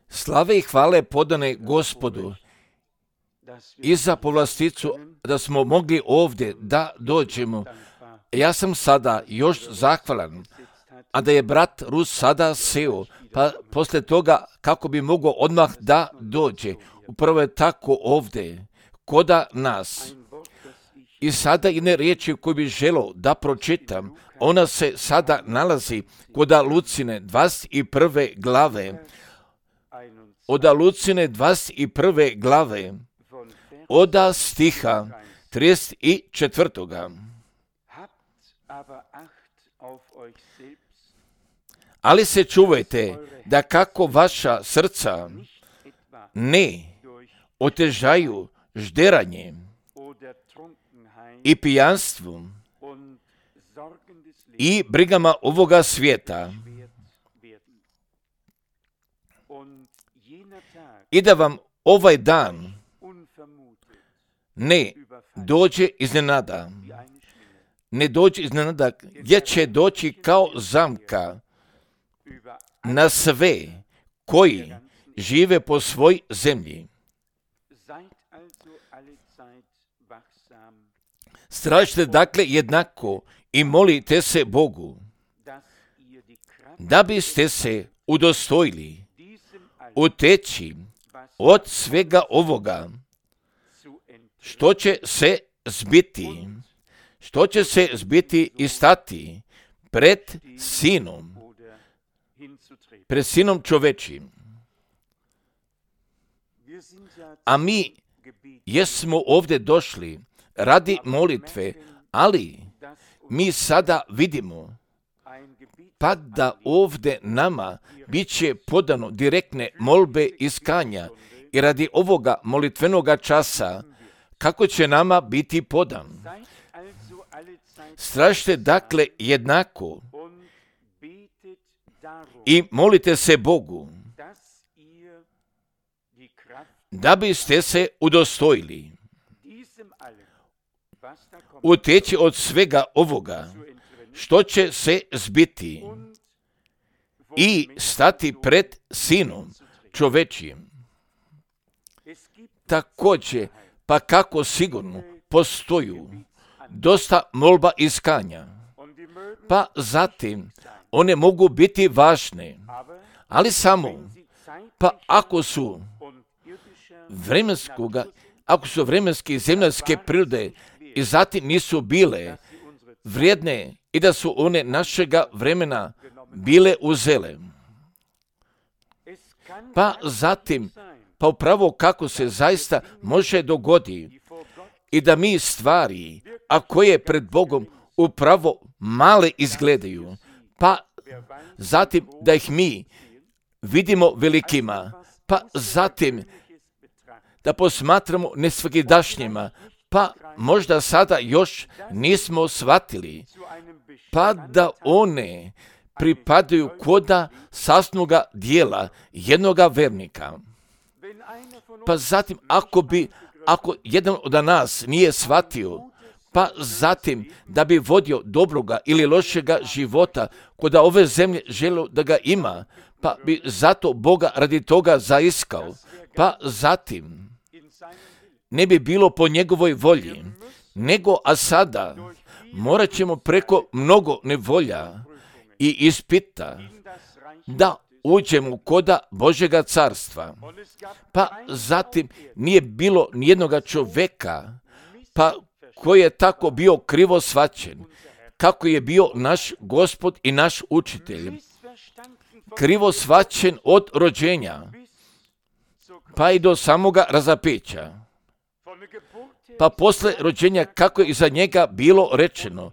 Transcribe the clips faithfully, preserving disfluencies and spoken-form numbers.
Slave i hvale podane Gospodu i za povlasticu da smo mogli ovdje da dođemo. Ja sam sada još zahvalan, a da je brat Rus sada seo, pa poslije toga kako bi mogao odmah da dođe. Upravo je tako ovdje, koda nas. I sada jedne riječi koju bi želio da pročitam, ona se sada nalazi koda Lucine dvadeset prve glave, oda Lucine dvadeset prve glave, oda stiha trideset četvrtoga. Ali se čuvajte da kako vaša srca ne otežaju žderanjem i pijanstvom i brigama ovoga svijeta, i da vam ovaj dan ne dođe iznenada, ne dođe iznenada, gdje će doći kao zamka na sve koji žive po svoj zemlji. Stražite dakle jednako i molite se Bogu, da biste se udostojili uteći od svega ovoga, što će se zbiti, što će se zbiti i stati pred sinom, pred sinom čovečim. A mi jesmo ovdje došli radi molitve, ali mi sada vidimo pa da ovdje nama bit će podano direktne molbe iskanja i radi ovoga molitvenoga časa kako će nama biti podan. Stražite dakle jednako i molite se Bogu, da biste se udostojili uteći od svega ovoga, što će se zbiti i stati pred sinom čovečijim. Također, pa kako sigurno postoju dosta molba iskanja, pa zatim one mogu biti važne, ali samo, pa ako su vremenskoga, ako su vremenske i zemljske prirode i zatim nisu bile vrijedne i da su one našega vremena bile uzele. Pa zatim, pa upravo kako se zaista može dogodi i da mi stvari, a koje pred Bogom upravo male izgledaju, pa zatim da ih mi vidimo velikima, pa zatim da posmatramo nesvakidašnjima, pa možda sada još nismo shvatili, pa da one pripadaju koda sasnoga dijela jednoga vernika. Pa zatim, ako bi, ako jedan od nas nije shvatio, pa zatim da bi vodio dobroga ili lošega života koda ove zemlje želio da ga ima, pa bi zato Boga radi toga zaiskao, pa zatim ne bi bilo po njegovoj volji, nego a sada morat ćemo preko mnogo nevolja i ispita da uđemo koda Božjega carstva. Pa zatim nije bilo nijednoga čoveka, pa koji je tako bio krivo shvaćen, kako je bio naš Gospod i naš učitelj. Krivo shvaćen od rođenja, pa i do samoga razapeća. Pa posle rođenja kako je iza njega bilo rečeno,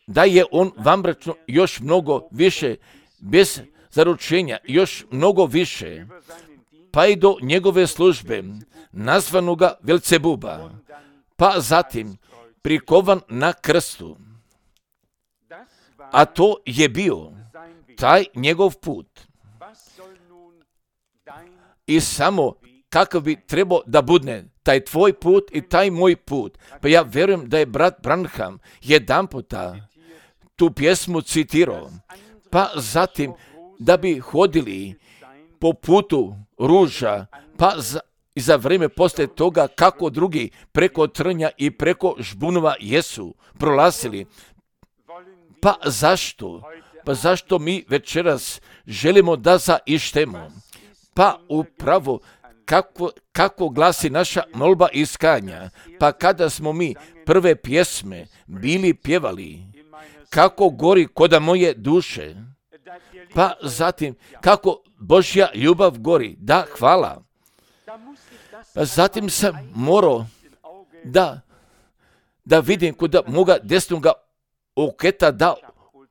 da je on vanbračno još mnogo više, bez zaručenja još mnogo više, pa i do njegove službe, nazvanoga Velcebuba, pa zatim prikovan na krstu. A to je bio taj njegov put. I samo kakav bi trebao da budne taj tvoj put i taj moj put. Pa ja vjerujem da je brat Branham jedan puta tu pjesmu citirao. Pa zatim da bi hodili po putu ruža, pa za, i za vrijeme poslije toga kako drugi preko trnja i preko žbunova jesu prolazili. Pa zašto? Pa zašto mi večeras želimo da zaištemo? Pa upravo kako, kako glasi naša molba iskanja, pa kada smo mi prve pjesme bili pjevali, kako gori koda moje duše, pa zatim kako Božja ljubav gori, da, hvala. Pa zatim sam morao da, da vidim kod moga desnoga oketa da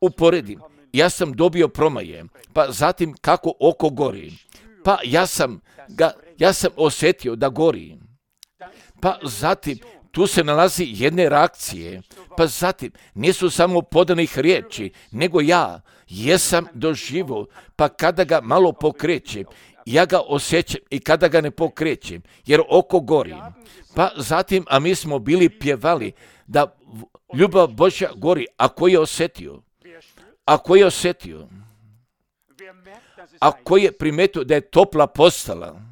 uporedim. Ja sam dobio promaje, pa zatim kako oko gori, pa ja sam ga, ja sam osjetio da gori, pa zatim tu se nalazi jedne reakcije, pa zatim nisu samo podanih riječi, nego ja jesam doživo, pa kada ga malo pokrećem, ja ga osjećam i kada ga ne pokrećem, jer oko gori. Pa zatim, a mi smo bili pjevali da ljubav Božja gori, a ko je osjetio? A ko je osjetio? A ko je primetio da je topla postala?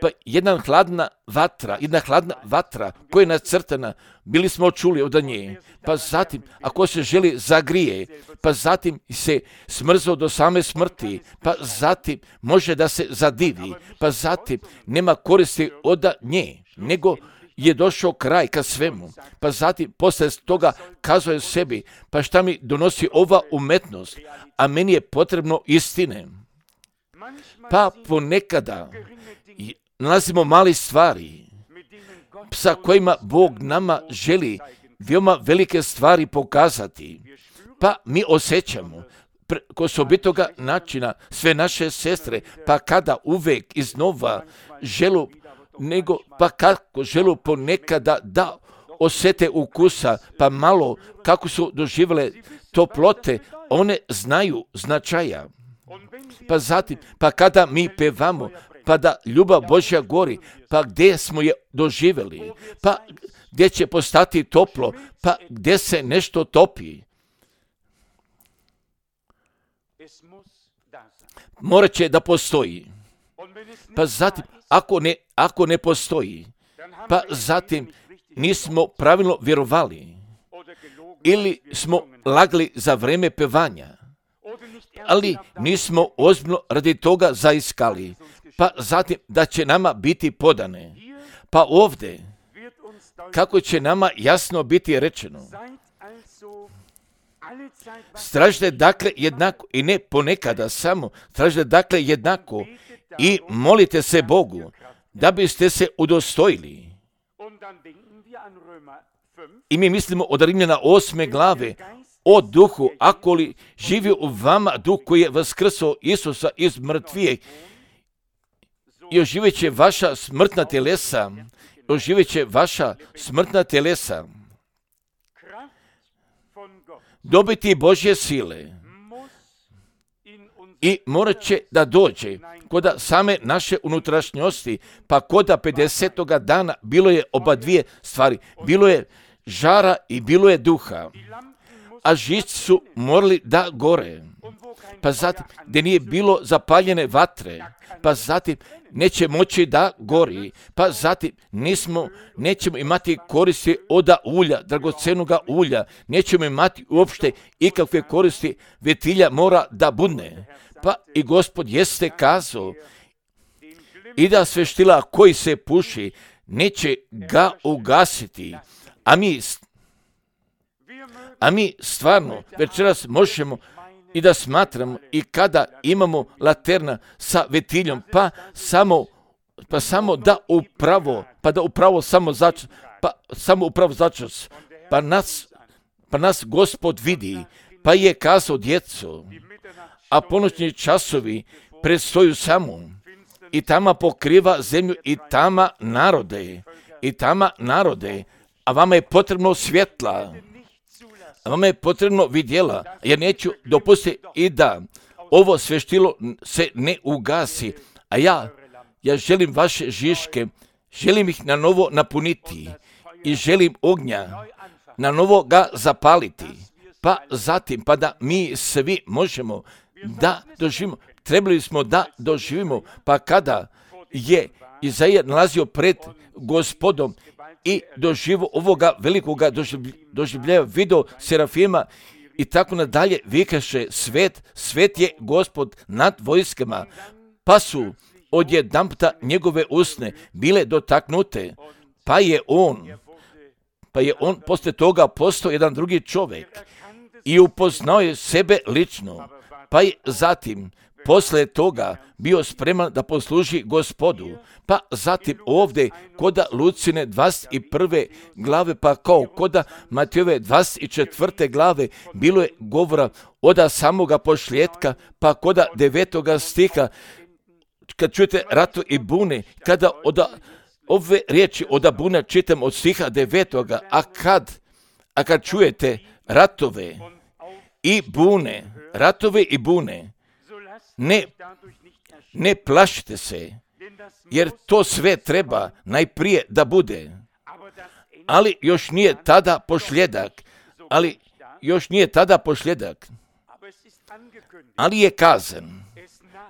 Pa jedna hladna vatra, jedna hladna vatra koja je nacrtana, bili smo čuli od nje. Pa zatim, ako se želi zagrije, pa zatim se smrzao do same smrti, pa zatim može da se zadivi, pa zatim nema koristi od nje, nego je došao kraj ka svemu, pa zatim posle toga kazuje sebi, pa šta mi donosi ova umetnost, a meni je potrebno istine. Pa ponekada nalazimo mali stvari sa kojima Bog nama želi veoma velike stvari pokazati, pa mi osjećamo kod osobitoga načina sve naše sestre, pa kada uvek iznova želu, nego pa kako želu ponekada da osjete ukusa, pa malo kako su doživjele toplote, one znaju značaja. Pa zatim, pa kada mi pevamo, pa da ljubav Božja gori, pa gdje smo je doživjeli, pa gdje će postati toplo, pa gdje se nešto topi. Morat će da postoji. Pa zatim, ako ne, ako ne postoji, pa zatim nismo pravilno vjerovali ili smo lagali za vrijeme pevanja, ali nismo ozbiljno radi toga zaiskali, pa zatim da će nama biti podane. Pa ovdje, kako će nama jasno biti rečeno, tražite dakle jednako i ne ponekada samo, tražite dakle jednako i molite se Bogu da biste se udostojili. I mi mislimo od Rimljana osme glave o duhu, ako li živi u vama duh koji je vaskrsao Isusa iz mrtvijeg, i oživjet će vaša smrtna telesa, oživjet će vaša smrtna telesa. Dobiti Božje sile i morat će da dođe kod same naše unutrašnjosti, pa kod pedesetoga dana bilo je oba dvije stvari, bilo je žara i bilo je duha, a žici su morali da gore, pa zatim gdje nije bilo zapaljene vatre, pa zatim neće moći da gori, pa zatim nismo, nećemo imati koristi od ulja, dragocenoga ulja, nećemo imati uopšte ikakve koristi, vetilja mora da budne. Pa i Gospod jeste kazao i da sveštila koji se puši neće ga ugasiti, a mi, a mi stvarno večeras možemo i da smatramo i kada imamo laterna sa vetiljom, pa samo, pa samo da upravo, pa da upravo samo začas, pa samo upravo začas, pa nas, pa nas Gospod vidi, pa je kazao djeco, a ponoćni časovi predstoju samo i tama pokriva zemlju i tama narode, i tama narode, a vama je potrebno svjetla, a vama je potrebno vidjela, jer neću dopustiti i da ovo sveštilo se ne ugasi, a ja, ja želim vaše žiške, želim ih na novo napuniti i želim ognja na novo ga zapaliti, pa zatim, pa da mi svi možemo da doživimo trebali smo da doživimo, pa kada je Izaija nalazio pred Gospodom i doživo ovoga velikoga doživljaja, video serafima i tako nadalje, vikaše svet, svet je Gospod nad vojskama, pa su odjedanputa njegove usne bile dotaknute, pa je on, pa je on poslije toga postao jedan drugi čovjek i upoznao je sebe lično, pa je zatim poslije toga bio spreman da posluži Gospodu. Pa zatim ovdje koda Lucine dvadeset prve glave, pa kao koda Matejove dvadeset četvrte glave bilo je govora oda samoga pošljetka, pa koda devetoga stiha, kad čujete ratu i bune, kada oda ove riječi oda bune čitam od stiha devetoga, a kad, a kad čujete ratove i bune, ratove i bune, ne, ne plašite se, jer to sve treba najprije da bude, ali još nije tada pošljedak, ali još nije tada pošljedak, ali je kazan,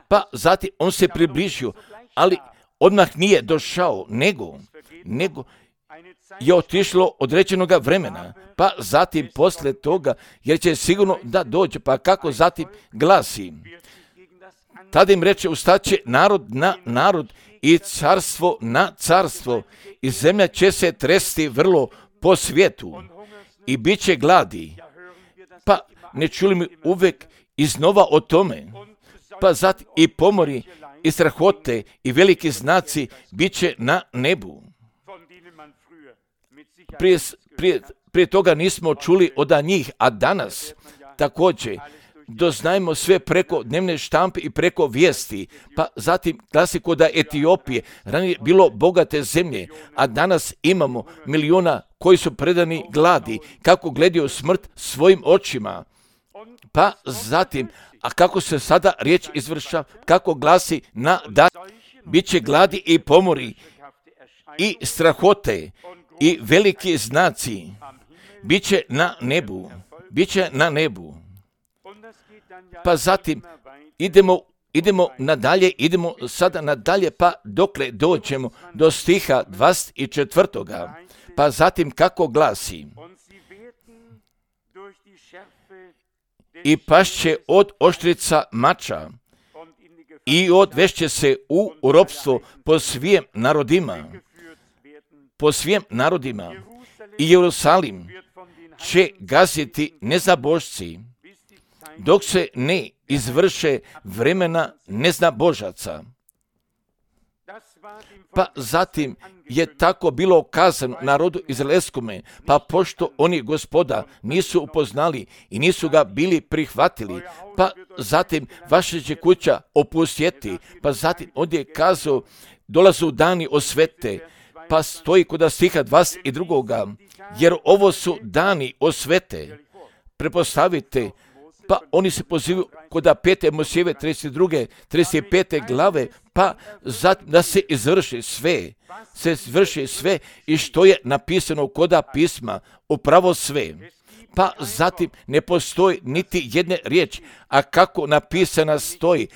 pa zatim on se približio, ali odmah nije došao, nego, nego je otišlo određenoga vremena, pa zatim poslije toga, jer će sigurno da dođe, pa kako zatim glasi, tada im reče, ustaće narod na narod i carstvo na carstvo i zemlja će se tresti vrlo po svijetu i bit će gladi. Pa ne čuli mi uvek iznova o tome, pa zatim i pomori i strahote i veliki znaci bit će na nebu. Prije, prije, prije toga nismo čuli od njih, a danas također doznajemo sve preko dnevne štampe i preko vijesti, pa zatim klasiko da Etiopije, ranije bilo bogate zemlje, a danas imamo miliona koji su predani gladi, kako gledaju smrt svojim očima, pa zatim, a kako se sada riječ izvrša, kako glasi na da bit će gladi i pomori i strahote i veliki znaci, bit će na nebu, bit će na nebu. Pa zatim idemo, idemo nadalje, idemo sada nadalje, pa dokle dođemo do stiha dvadeset četvrtoga. Pa zatim kako glasi, i pašće od oštrica mača i odvešće se u ropstvo po svim narodima, po svim narodima i Jerusalim će gaziti nezabožci, dok se ne izvrše vremena neznabožaca. Pa zatim je tako bilo kazano narodu izraelskome, pa pošto oni Gospoda nisu upoznali i nisu ga bili prihvatili, pa zatim vaša će kuća opustjeti, pa zatim ovdje je kazao, dolazu dani osvete, pa stoji kod stiha dvadeset drugoga, jer ovo su dani osvete, prepostavite. Pa oni se pozivaju kod pete Mojsijeve trideset druge, trideset pete glave, pa zatim da se izvrši sve, se izvrši sve i što je napisano kod pisma, upravo sve. Pa zatim ne postoji niti jedne riječi, a kako napisana stoji,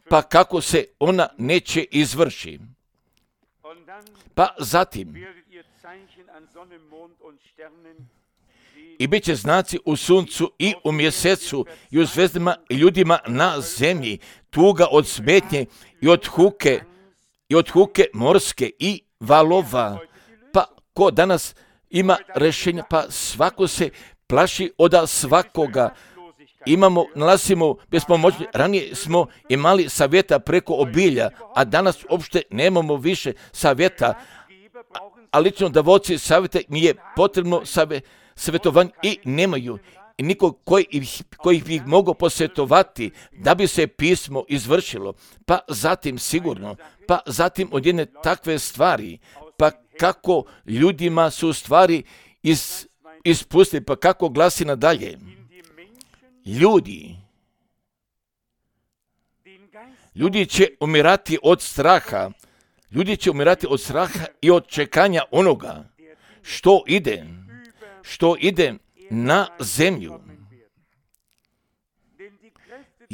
pa kako se ona neće izvrši. Pa zatim i bit će znaci u suncu i u mjesecu i u zvezdama i ljudima na zemlji, tuga od smetnje i od huke, i od huke morske i valova. Pa ko danas ima rješenja, pa svako se plaši od svakoga. Imamo, nalazimo bespomoćni, ranije smo imali savjeta preko obilja, a danas uopšte nemamo više savjeta, a lično davoci savjeta mi je potrebno savjeta, savjetovanje i nemaju i nikog koji ih, koji ih mogu posjetovati da bi se pismo izvršilo, pa zatim sigurno, pa zatim od jedne takve stvari, pa kako ljudima su stvari iz, ispustili, pa kako glasi nadalje. Ljudi, ljudi će umirati od straha, ljudi će umirati od straha i od čekanja onoga što ide, što ide na zemlju.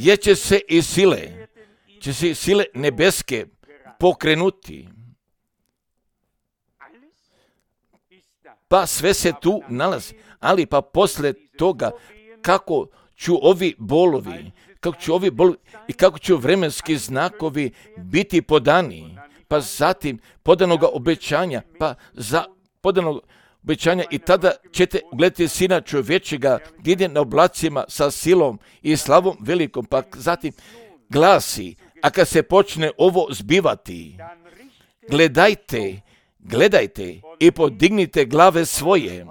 jer će se i sile, će se i sile nebeske pokrenuti. Pa sve se tu nalazi, ali pa posle toga kako ću ovi bolovi, kako će ovi bolovi i kako će vremenski znakovi biti podani, pa zatim podanoga obećanja, pa za podanog obećanja i tada ćete gledati Sina čovječega gdje ide na oblacima sa silom i slavom velikom, pa zatim glasi, a kad se počne ovo zbivati, gledajte, gledajte i podignite glave svoje,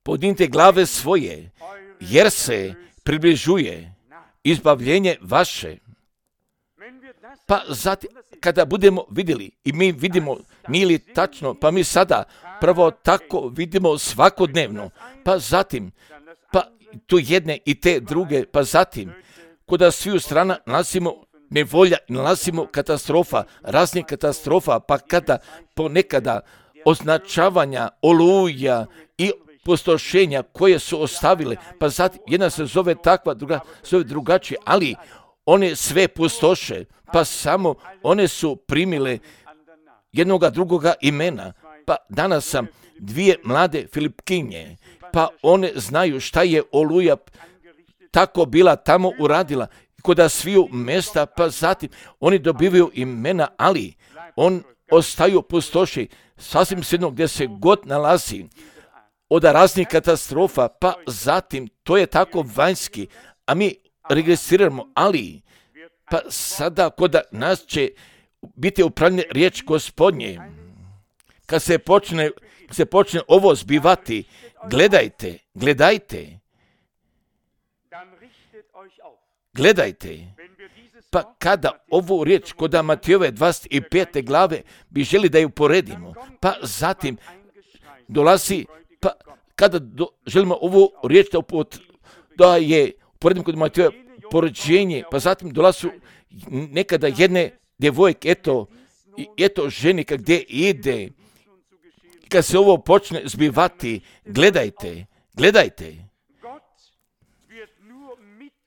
podignite glave svoje, jer se približuje izbavljenje vaše. Pa zatim, kada budemo vidjeli, i mi vidimo, nije li tačno, pa mi sada prvo tako vidimo svakodnevno, pa zatim, pa tu jedne i te druge, pa zatim, kuda svi u strana nalazimo nevolja, nalazimo katastrofa, raznih katastrofa, pa kada ponekada označavanja, oluja i pustošenja koje su ostavile, pa zatim jedna se zove takva, druga zove drugačije, ali one sve pustoše, pa samo one su primile jednoga drugoga imena. Pa danas sam dvije mlade Filipkinje, pa one znaju šta je oluja tako bila tamo uradila, koda sviju mesta, pa zatim oni dobivaju imena, ali on ostaju pustoši, sasvim svejedno gdje se god nalazi, od raznih katastrofa, pa zatim to je tako vanjski, a mi registriramo, ali pa sada kod nas će biti upravljena riječ Gospodnje. Kad se počne, kad se počne ovo zbivati, gledajte, gledajte, gledajte. Pa kada ovu riječ kod Matejove dvadeset pete glave bi želi da ju poredimo, pa zatim dolazi, pa kada do, želimo ovu riječ da, upot, da je poredimo kod Matejove poređenje, pa zatim dolazu nekada jedne djevojke, eto, eto ženika gdje ide, kad se ovo počne zbivati, gledajte, gledajte.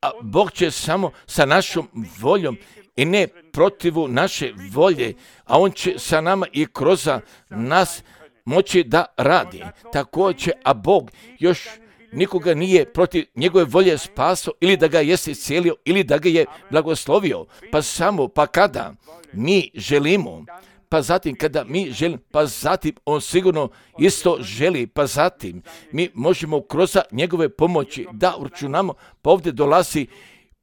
A Bog će samo sa našom voljom i ne protivu naše volje, a On će sa nama i kroz nas moći da radi. Također, a Bog još nikoga nije protiv njegove volje spaso ili da ga jeste iscijelio ili da ga je blagoslovio. Pa samo, pa kada mi želimo, pa zatim kada mi želimo, pa zatim on sigurno isto želi, pa zatim mi možemo kroz njegove pomoći da uračunamo, pa ovdje dolazi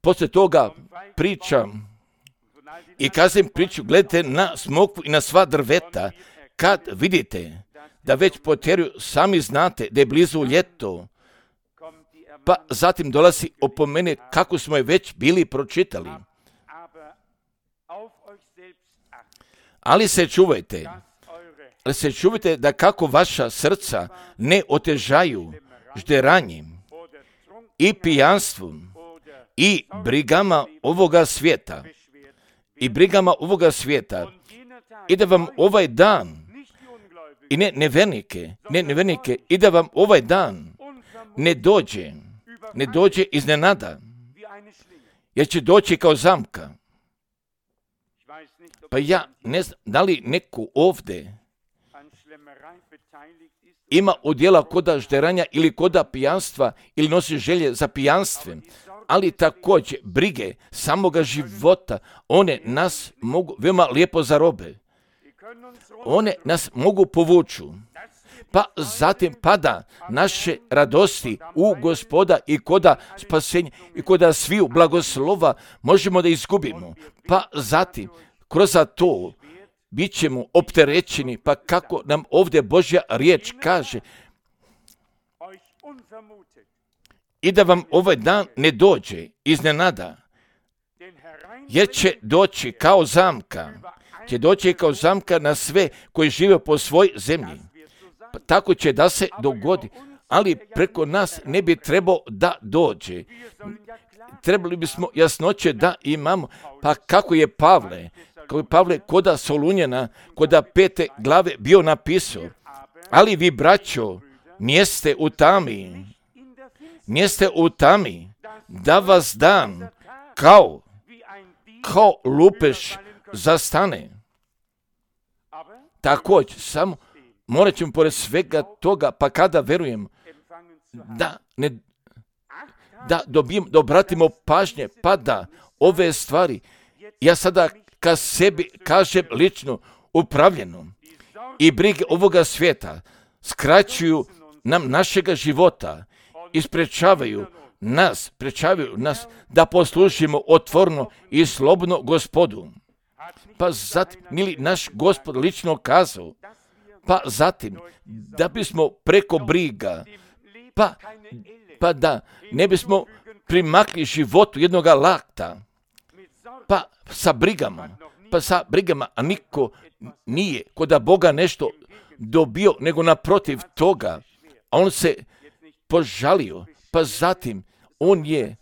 poslije toga priča i kazim priču, gledajte na smokvu i na sva drveta, kad vidite da već potjeruju, sami znate da je blizu ljeto, pa zatim dolazi opomene kako smo je već bili pročitali. Ali se čuvajte, ali se čuvajte da kako vaša srca ne otežaju žderanjem i pijanstvom i brigama ovoga svijeta i brigama ovoga svijeta i da vam ovaj dan i ne nevernike, ne nevernike i da vam ovaj dan ne dođe, ne dođe iznenada, jer će doći kao zamka. Pa ja ne znam, da li neko ovdje ima udjela koda žderanja ili koda pijanstva ili nosi želje za pijanstvem, ali također brige samoga života, one nas mogu veoma lijepo zarobe. One nas mogu povuču. Pa zatim pada naše radosti u Gospoda i koda spasenja i koda sviju blagoslova možemo da izgubimo. Pa zatim kroz to bit ćemo opterećeni, pa kako nam ovdje Božja riječ kaže, i da vam ovaj dan ne dođe iznenada, jer će doći kao zamka, će doći kao zamka na sve koji žive po svoj zemlji. Pa tako će da se dogodi, ali preko nas ne bi trebao da dođe. Trebali bismo jasnoće da imamo, pa kako je Pavle, kako je Pavle koda Solunjana, koda pete glave bio napisao, ali vi, braćo, nijeste u tami, Niste u tami, da vas dan kao, kao lupež zastane. Također, samo morat ćemo pored svega toga, pa kada verujem da ne da dobijem, da obratimo pažnje, pa da ove stvari, ja sada ka sebi kažem lično upravljeno i brige ovoga svijeta skraćuju nam našega života i sprečavaju nas, sprečavaju nas da poslušimo otvorno i slobodno Gospodu. Pa zatim, ili naš Gospod lično kazao, pa zatim, da bismo preko briga, pa, pa da ne bismo primakli životu jednoga lakta, pa sa brigama, pa sa brigama, a niko nije kod Boga nešto dobio, nego naprotiv toga, a on se požalio, pa zatim on je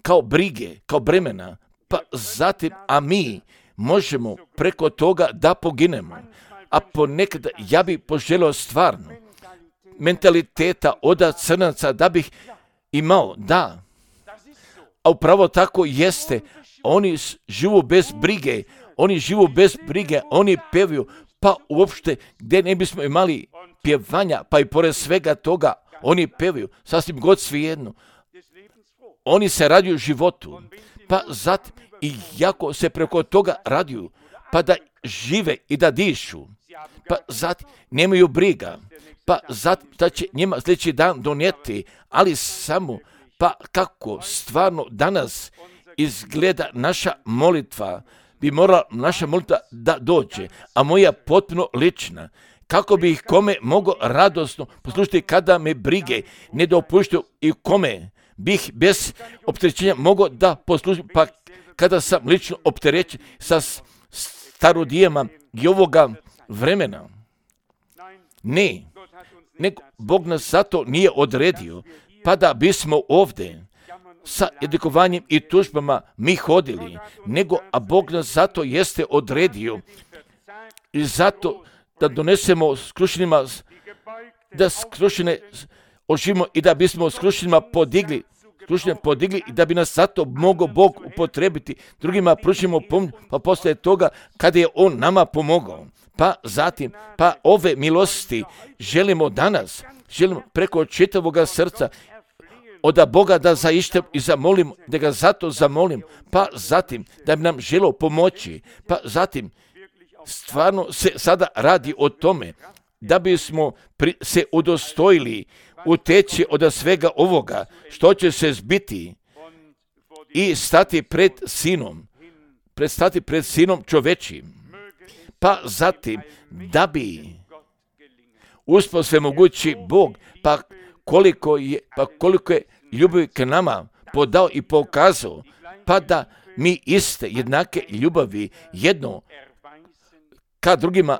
kao brige, kao bremena, pa zatim, a mi možemo preko toga da poginemo. A ponekad ja bih poželio stvarno mentaliteta od crnaca da bih imao, da. A upravo tako jeste, oni živu bez brige, oni živu bez brige, oni pevaju, pa uopšte gdje ne bismo imali pjevanja, pa i pored svega toga, oni pevaju, sasvim god svejedno. Oni se raduju životu, pa zatim i jako se preko toga raduju, pa da žive i da dišu, pa zatim nemaju briga, pa zatim da će njima sljedeći dan donijeti, ali samo pa kako stvarno danas izgleda naša molitva, bi morala naša molitva da dođe, a moja potpuno lična, kako bi ih kome mogo radosno poslušati kada me brige ne dopuštaju i kome bih bez opterećenja mogao da poslušam, pa kada sam lično opterećen sa starodijema i ovoga vremena. Ne, nego Bog nas zato nije odredio, pa da bismo ovdje sa edukovanjem i tužbama mi hodili, nego a Bog nas zato jeste odredio i zato da donesemo skrušenima, da skrušene oživimo i da bismo skrušenima podigli, skrušenima podigli i da bi nas zato mogao Bog upotrebiti, drugima pružimo pomoć, pa poslije toga kada je On nama pomogao. Pa zatim, pa ove milosti želimo danas, želimo preko čitavoga srca od Boga da zaištem i zamolim, da ga zato zamolim, pa zatim da bi nam želio pomoći, pa zatim stvarno se sada radi o tome da bismo pri, se udostojili uteći od svega ovoga što će se zbiti i stati pred sinom, predstati pred sinom čovečim. Pa zatim, da bi uspio sve mogući Bog, pa koliko je, pa koliko je ljubavi k nama podao i pokazao, pa da mi iste jednake ljubavi jedno ka drugima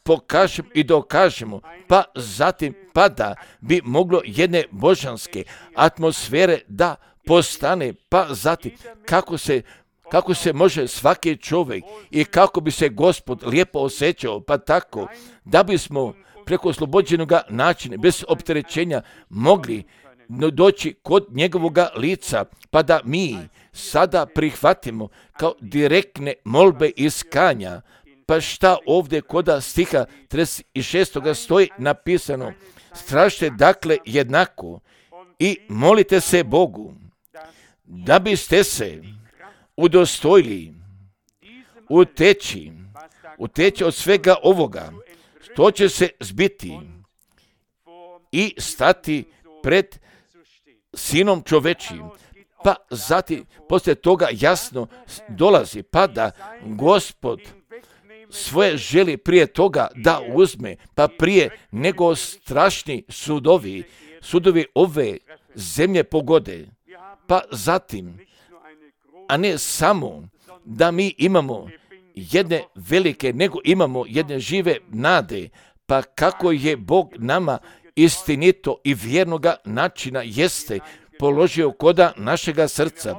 pokažemo i dokažemo, pa zatim, pa da bi moglo jedne božanske atmosfere da postane, pa zatim, kako se kako se može svaki čovjek i kako bi se Gospod lijepo osjećao, pa tako da bismo preko oslobođenog načina, bez opterećenja, mogli doći kod njegovoga lica, pa da mi sada prihvatimo kao direktne molbe iskanja. Pa šta ovdje koda stiha trideset šest stoji napisano, strašte dakle jednako i molite se Bogu, da biste se udostojili uteći, uteći od svega ovoga, što će se zbiti i stati pred sinom čovečim. Pa zatim, poslije toga jasno dolazi, pa da Gospod svoje želi prije toga da uzme, pa prije nego strašni sudovi, sudovi ove zemlje pogode, pa zatim, a ne samo da mi imamo jedne velike, nego imamo jedne žive nade, pa kako je Bog nama istinito i vjernoga načina jeste položio koda našega srca.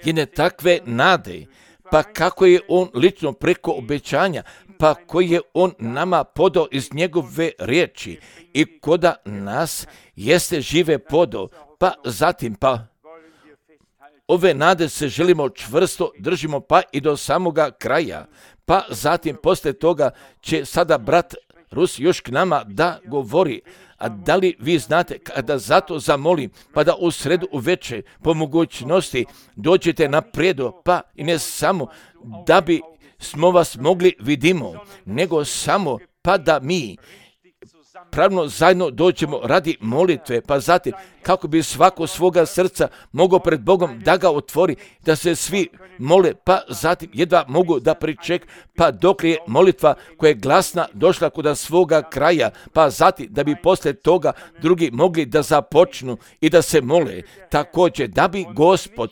Jedne takve nade, pa kako je On lično preko obećanja, pa koji je on nama podao iz njegove riječi i koda nas jeste žive podao, pa zatim pa ove nade se želimo čvrsto držimo pa i do samoga kraja, pa zatim poslije toga će sada brat Rus još k nama da govori. A da li vi znate kada zato zamolim, pa da u sredu uveče po mogućnosti dođete napredo, pa i ne samo da bi smo vas mogli vidimo, nego samo pa da mi pravno zajedno dođemo radi molitve, pa zatim kako bi svako svoga srca mogao pred Bogom da ga otvori, da se svi mole, pa zatim jedva mogu da priček, pa dok je molitva koja je glasna došla kod svoga kraja, pa zatim da bi poslije toga drugi mogli da započnu i da se mole, također da bi Gospod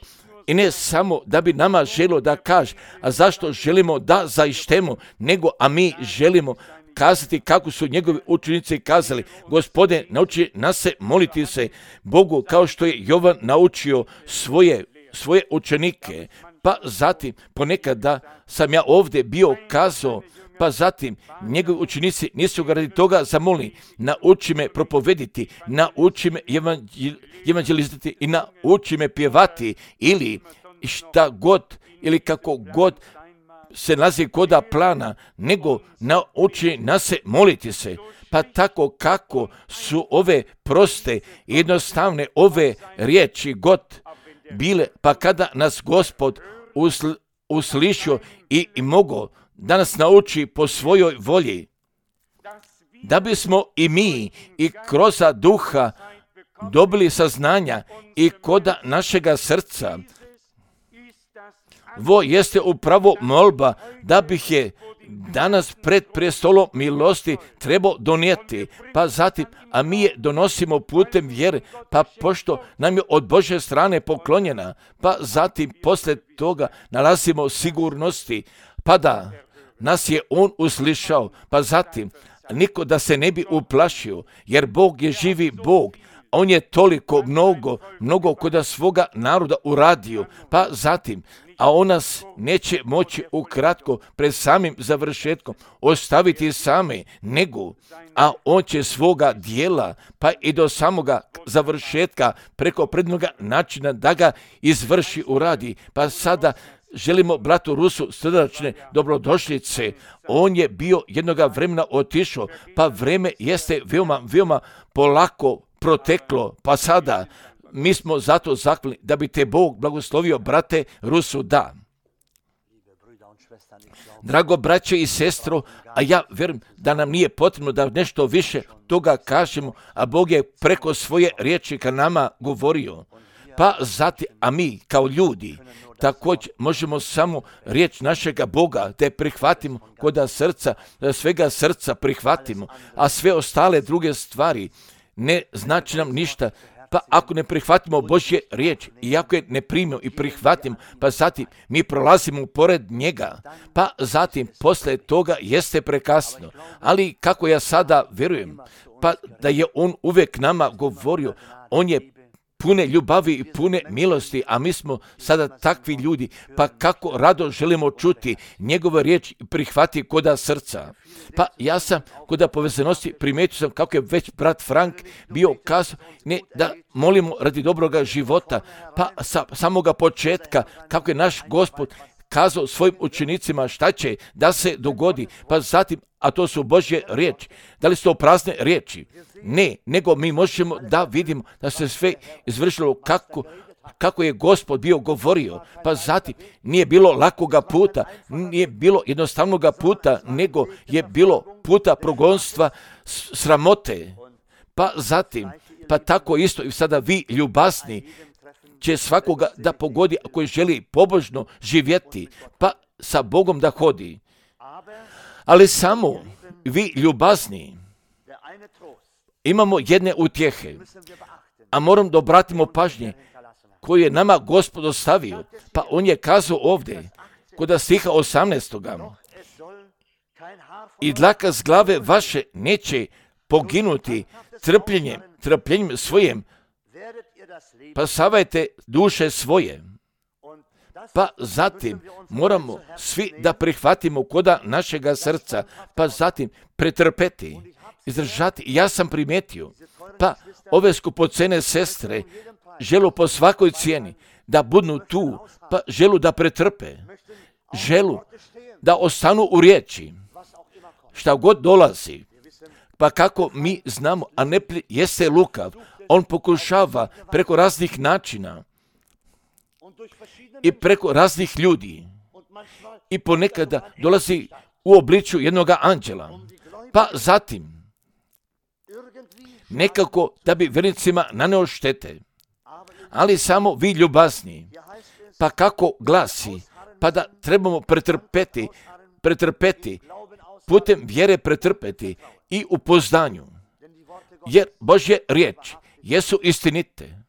i ne samo da bi nama želio da kaže, a zašto želimo da zaištemo, nego a mi želimo kazati kako su njegovi učenici kazali, Gospode, nauči nas se moliti se Bogu kao što je Jovan naučio svoje, svoje učenike. Pa zatim, ponekada sam ja ovdje bio kazao, pa zatim njegovi učenici nisu ga radi toga zamolili, nauči me propovediti, nauči me evanđelizirati i nauči me pjevati ili šta god ili kako god se nalazi koda plana, nego nauči nas se moliti se. Pa tako kako su ove proste i jednostavne ove riječi god bile, pa kada nas Gospod usl, uslišio i, i mogo da nas nauči po svojoj volji, da bismo i mi i kroz duha dobili saznanja i koda našega srca. Vo jeste upravo molba da bih je danas pred prestolom milosti trebao donijeti, pa zatim, a mi je donosimo putem vjere, pa pošto nam je od Božje strane poklonjena, pa zatim poslije toga nalazimo sigurnosti, pa da nas je On uslišao, pa zatim niko da se ne bi uplašio, jer Bog je živi Bog. On je toliko mnogo, mnogo kod svoga naroda uradio, pa zatim, a on nas neće moći ukratko pred samim završetkom ostaviti same, nego, a on će svoga dijela, pa i do samoga završetka preko prednoga načina da ga izvrši uradi. Pa sada želimo bratu Rusu srdačne dobrodošlice. On je bio jednoga vremena otišao, pa vreme jeste veoma, veoma polako proteklo, pa sada mi smo zato zakljeni da bi te Bog blagoslovio, brate Rusu, da. Drago braće i sestro, a ja vjerujem da nam nije potrebno da nešto više toga kažemo, a Bog je preko svoje riječi ka nama govorio. Pa zati, a mi kao ljudi također možemo samo riječ našega Boga da je prihvatimo koda srca, da svega srca prihvatimo, a sve ostale druge stvari ne znači nam ništa. Pa ako ne prihvatimo Božje riječ i ako je ne primimo i prihvatimo, pa zatim mi prolazimo pored njega, pa zatim posle toga jeste prekasno. Ali kako ja sada vjerujem, pa da je on uvijek nama govorio, on je pune ljubavi i pune milosti, a mi smo sada takvi ljudi, pa kako rado želimo čuti njegove riječi i prihvati koda srca. Pa ja sam koda povezanosti primijetio sam kako je već brat Frank bio kazao, ne da molimo radi dobroga života, pa sa samoga početka kako je naš Gospod kazao svojim učenicima šta će da se dogodi, pa zatim, a to su Božje riječi. Da li su to prazne riječi? Ne, nego mi možemo da vidimo da se sve izvršilo kako, kako je Gospod bio govorio, pa zatim nije bilo lakoga puta, nije bilo jednostavnoga puta, nego je bilo puta progonstva, sramote, pa zatim, pa tako isto i sada vi ljubazni će svakoga da pogodi koji želi pobožno živjeti, pa sa Bogom da hodi. Ali samo vi ljubazni imamo jedne utjehe, a moram da obratimo pažnje koju je nama Gospod ostavio, pa on je kazao ovdje, kod stiha osamnaestoga i dlaka s glave vaše neće poginuti trpljenjem, trpljenjem svojim, pa savajte duše svoje. Pa zatim moramo svi da prihvatimo koda našega srca, pa zatim pretrpeti, izdržati. Ja sam primijetio, pa ove skupocene sestre želu po svakoj cijeni da budu tu, pa želu da pretrpe, želu da ostanu u riječi, šta god dolazi. Pa kako mi znamo, a ne jeste lukav, on pokušava preko raznih načina i preko raznih ljudi i ponekada dolazi u obličju jednog anđela. Pa zatim nekako da bi vjernicima naneo štete, ali samo vi ljubazni. Pa kako glasi, pa da trebamo pretrpeti, pretrpeti, putem vjere pretrpeti i u poznanju, jer Božje riječi jesu istinite.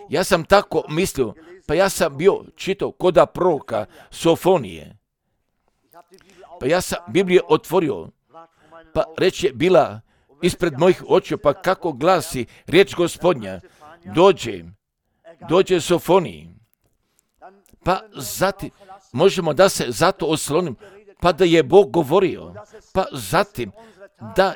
Ja sam tako mislio, pa ja sam bio čitao koda proroka Sofonije, pa ja sam Bibliju otvorio, pa reč je bila ispred mojih očiju, pa kako glasi riječ Gospodnja, dođe, dođe Sofoniji, pa zatim možemo da se zato oslonim, pa da je Bog govorio, pa zatim da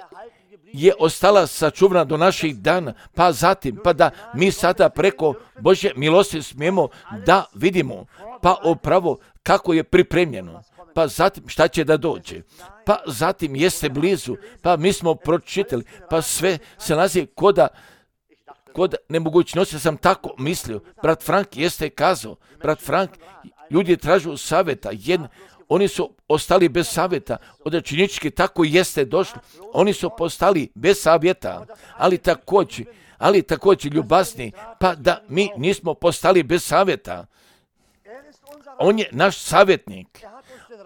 je ostala sačuvana do naših dana, pa zatim, pa da mi sada preko Božje milosti smijemo da vidimo, pa upravo kako je pripremljeno, pa zatim šta će da dođe, pa zatim jeste blizu, pa mi smo pročitali, pa sve se nalazi koda, kod nemogućnosti. Sam tako mislio, brat Frank jeste kazao, brat Frank, ljudi tražu savjeta, jedan, oni su ostali bez savjeta, odrečinički tako jeste došlo, oni su postali bez savjeta, ali također, ali također ljubazni, pa da mi nismo postali bez savjeta. On je naš savjetnik,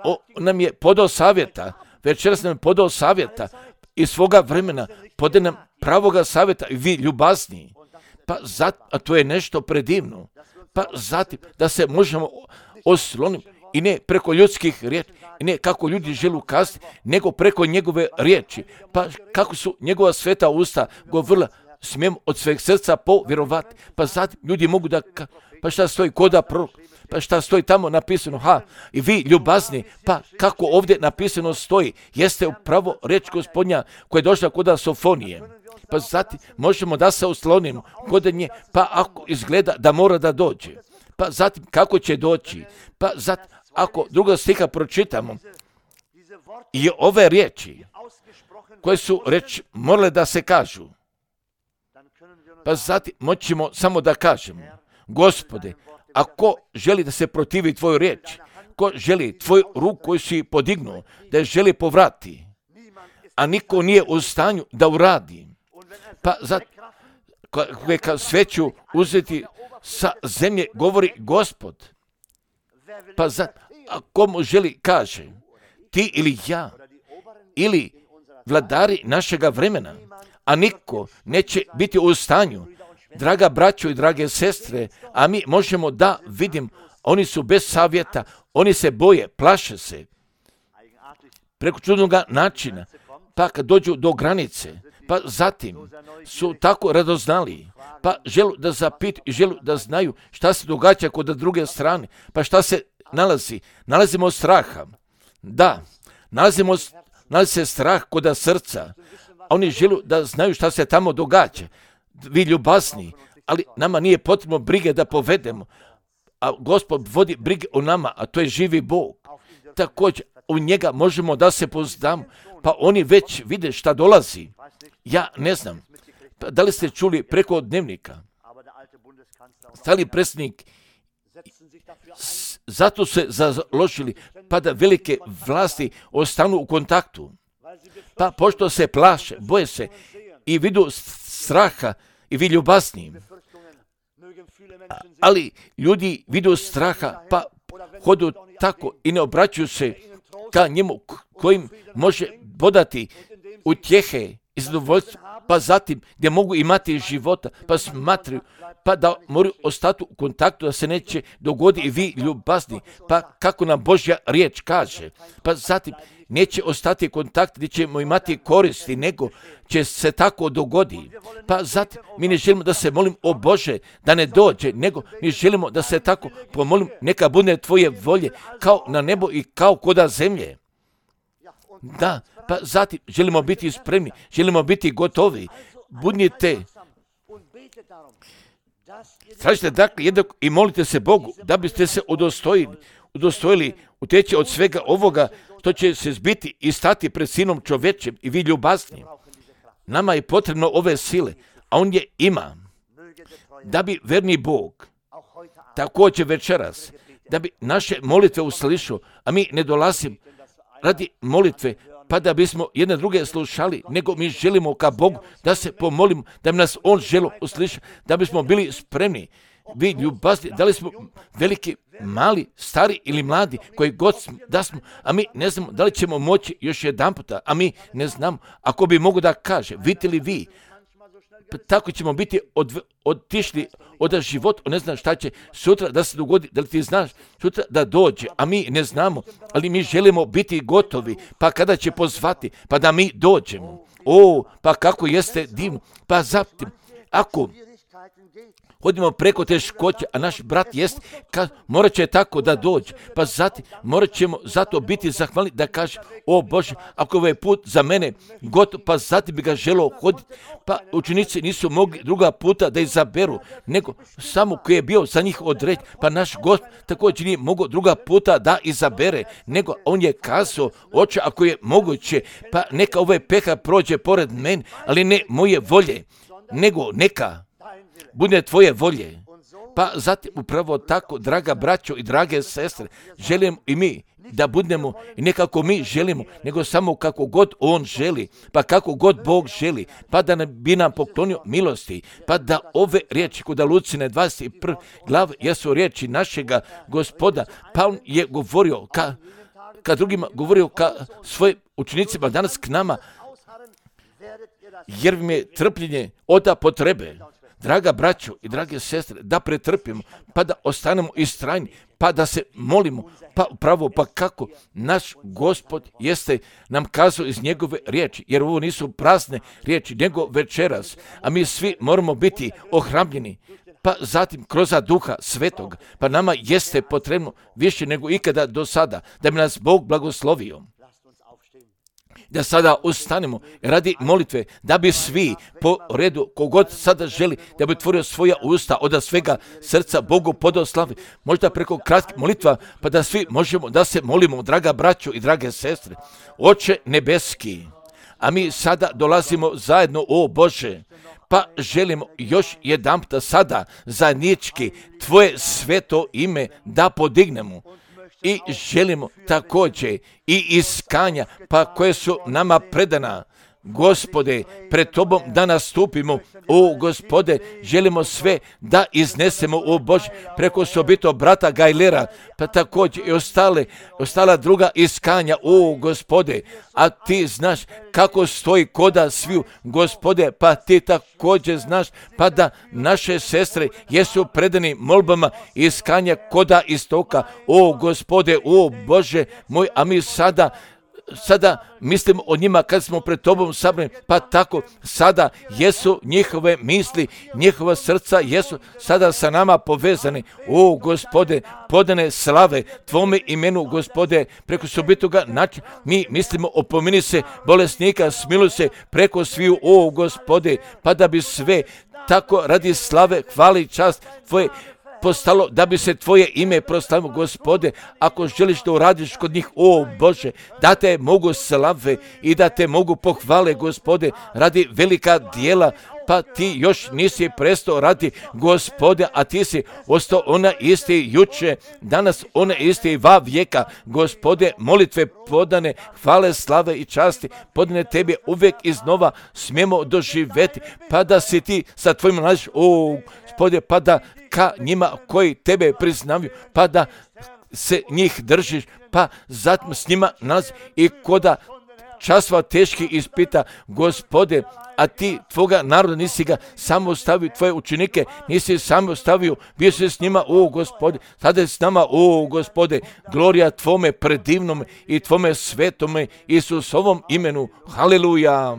on nam je podao savjeta, večeras nam je podao savjeta iz svoga vremena, podao nam pravoga savjeta i vi ljubazni, pa zat, a to je nešto predivno, pa zatim da se možemo osloniti i ne preko ljudskih riječi, i ne kako ljudi žele kazati, nego preko njegove riječi, pa kako su njegova sveta usta govorila, smijem od sveg srca povjerovati, pa zatim ljudi mogu da, pa šta stoji koda prorok, pa šta stoji tamo napisano, ha, i vi ljubazni, pa kako ovdje napisano stoji, jeste upravo riječ Gospodnja koja je došla koda Sofonije. Pa zatim možemo da se oslonimo kod nje, pa ako izgleda da mora da dođe, pa zatim kako će doći, pa zatim ako druga stiha pročitamo i ove riječi koje su reč morale da se kažu, pa zatim moćemo samo da kažemo, Gospode, ako želi da se protivi tvoju riječ, ko želi tvoju ruku koju si podignuo, da je želi povrati, a niko nije u stanju da uradi, pa zatim kad sveću uzeti sa zemlje, govori Gospod, pa zatim, a komu želi kaže, ti ili ja, ili vladari našega vremena, a niko neće biti u stanju, draga braćo i drage sestre, a mi možemo da vidim, oni su bez savjeta, oni se boje, plaše se, preko čudnog načina, pa kad dođu do granice, pa zatim su tako radoznali, pa želu da zapitu i želu da znaju šta se događa kod druge strane, pa šta se nalazi, nalazimo straha, da, nalazimo, nalazi se strah kod srca, oni želu da znaju šta se tamo događa, vi ljubazni, ali nama nije potrebno brige da povedemo, a Gospod vodi brige o nama, a to je živi Bog, također u njega možemo da se pozdamo, pa oni već vide šta dolazi, ja ne znam, pa da li ste čuli preko dnevnika, stari predsjednik, zato se založili, pa da velike vlasti ostanu u kontaktu, pa pošto se plaše, boje se i vidu straha i vi ljubazni, ali ljudi vidu straha, pa hodu tako i ne obraćaju se ka njemu kojim može podati utjehe i zadovoljstvo, pa zatim gdje mogu imati života, pa smatraju, pa da moraju ostati u kontaktu, da se neće dogoditi i vi ljubazni, pa kako nam Božja riječ kaže, pa zatim neće ostati kontakt, gdje ćemo imati koristi, nego će se tako dogodi. Pa zatim mi ne želimo da se molim o Bože, da ne dođe, nego mi želimo da se tako pomolim, neka bude tvoje volje, kao na nebo i kao koda zemlje. Da, pa zatim želimo biti spremni, želimo biti gotovi. Budnite, tražite dakle jednako i molite se Bogu da biste se udostojili, udostojili uteći od svega ovoga što će se zbiti i stati pred Sinom čovječem i vi ljubazni. Nama je potrebno ove sile, a on je ima, da bi verni Bog također večeras, da bi naše molitve uslišao, a mi ne dolazimo radi molitve, pa da bismo jedne druge slušali, nego mi želimo ka Bogu da se pomolimo, da bi nas On želo uslišati, da bismo bili spremni. Vi ljubazni, da li smo veliki, mali, stari ili mladi, koji god smo, da smo, a mi ne znamo da li ćemo moći još jedan puta, a mi ne znamo. Ako bi mogu da kaže, vidite li vi, pa tako ćemo biti od, otišli od života, ne znam šta će sutra da se dogodi, da li ti znaš sutra da dođe, a mi ne znamo, ali mi želimo biti gotovi, pa kada će pozvati, pa da mi dođemo. O, pa kako jeste divno, pa zatim, ako hodimo preko teškoće, a naš brat jest, ka, morat će tako da dođe, pa zatim morat ćemo zato biti zahvalni da kaže, o Bože, ako ovaj put za mene gotov, pa zatim bi ga želeo hoditi, pa učenici nisu mogli druga puta da izaberu, nego samo koji je bio za njih određen, pa naš Gospod također nije mogao druga puta da izabere, nego on je kazao, oče, ako je moguće, pa neka ovaj peha prođe pored mene, ali ne moje volje, nego neka bude tvoje volje. Pa zatim upravo tako, draga braćo i drage sestre, želimo i mi da budemo i ne kako mi želimo, nego samo kako god On želi, pa kako god Bog želi, pa da bi nam poklonio milosti, pa da ove riječi kod Lucine dvadeset prve glave jesu riječi našega Gospoda, pa On je govorio ka, ka drugima, govorio ka svojim učenicima, danas k nama, jer mi je trpljenje oda potrebe. Draga braćo i drage sestre, da pretrpimo, pa da ostanemo istrajni, pa da se molimo, pa upravo, pa kako naš Gospod jeste nam kazao iz njegove riječi, jer ovo nisu prazne riječi, nego večeras, a mi svi moramo biti ohrabljeni, pa zatim kroz Duha Svetog, pa nama jeste potrebno više nego ikada do sada, da bi nas Bog blagoslovio. Da sada ustanemo radi molitve, da bi svi po redu, kogod sada želi, da bi otvorio svoja usta od svega srca Bogu podao slavi, možda preko kratkih molitva, pa da svi možemo da se molimo, draga braćo i drage sestre. Oče nebeski, a mi sada dolazimo zajedno, o Bože, pa želimo još jedan puta sada zajednički Tvoje sveto ime da podignemo. I želimo također i iskanja, pa koje su nama predana, Gospode, pred Tobom da nastupimo, o Gospode, želimo sve da iznesemo, o Bože, preko sobito brata Gajlera, pa također i ostale, ostala druga iskanja, o Gospode, a Ti znaš kako stoji koda sviju, Gospode, pa Ti također znaš, pa da naše sestre jesu predani molbama iskanja koda istoka, o Gospode, o Bože moj, a mi sada Sada mislimo o njima kad smo pred Tobom sabrani, pa tako sada jesu njihove misli, njihova srca jesu sada sa nama povezani. O Gospode, podane slave Tvome imenu, Gospode, preko sobitoga načina mi mislimo opomini se bolesnika, smiluj se preko sviju, o Gospode, pa da bi sve tako radi slave, hvale i čast Tvoje postalo, da bi se Tvoje ime proslavilo, Gospode, ako želiš da uradiš kod njih, o Bože, da Te mogu slave i da Te mogu pohvale, Gospode, radi velika dijela, pa Ti još nisi prestao radi, Gospode, a Ti si ostao ona isti juče, danas ona isti va vijeka, Gospode, molitve podane, hvale, slave i časti, podane Tebi uvijek iznova smijemo doživjeti, pa da si Ti sa Tvojim nalaziš, o Gospode, pa da ka njima koji Tebe priznavaju, pa da se njih držiš, pa zatim s njima nalazi i koda časova teški ispita, Gospode, a ti tvoga naroda nisi ga samo ostavio, tvoje učenike nisi samo ostavio, bio si s njima, o Gospode, sada je s nama, o Gospode, glorija tvome predivnome i tvome svetome Isusovom imenu, haleluja.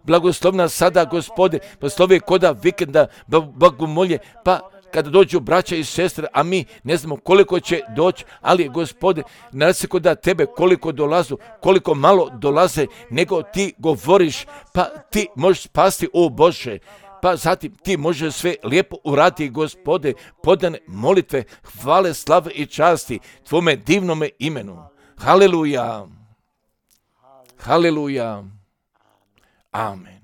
Blagoslovna sada, Gospode, poslovi koda vikenda, bogomolje, pa kada dođu braća i sestre, a mi ne znamo koliko će doći, ali Gospode, nasiko da tebe koliko dolazu, koliko malo dolaze, nego ti govoriš, pa ti možeš spasti, o Bože, pa zatim ti možeš sve lijepo uraditi, Gospode, podane molitve, hvale, slave i časti tvome divnome imenu. Haleluja, haleluja, amen.